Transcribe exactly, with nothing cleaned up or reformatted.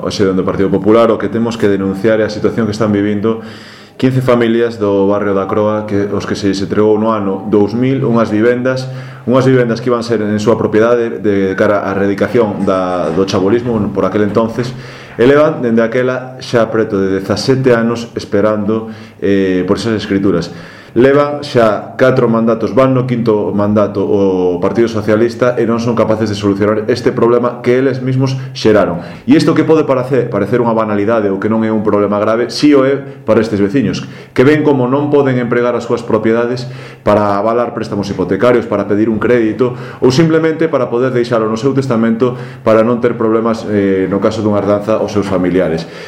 Hoxe, do Partido Popular, o que temos que denunciar é a situación que están vivindo quince familias do barrio da Croa, que os que se se entregou no ano dous mil unhas vivendas, unhas vivendas que iban ser en súa propiedade de cara á erradicación da, do chabolismo por aquel entonces, e levan dende aquela xa preto de dezasete anos esperando eh, por esas escrituras. Levan xa catro mandatos, van no quinto mandato o Partido Socialista e non son capaces de solucionar este problema que eles mesmos xeraron. E isto que pode parecer, parecer unha banalidade ou que non é un problema grave, si o é para estes veciños, que ven como non poden empregar as súas propiedades para avalar préstamos hipotecarios, para pedir un crédito ou simplemente para poder deixalo no seu testamento para non ter problemas eh, no caso dunha herdanza aos seus familiares.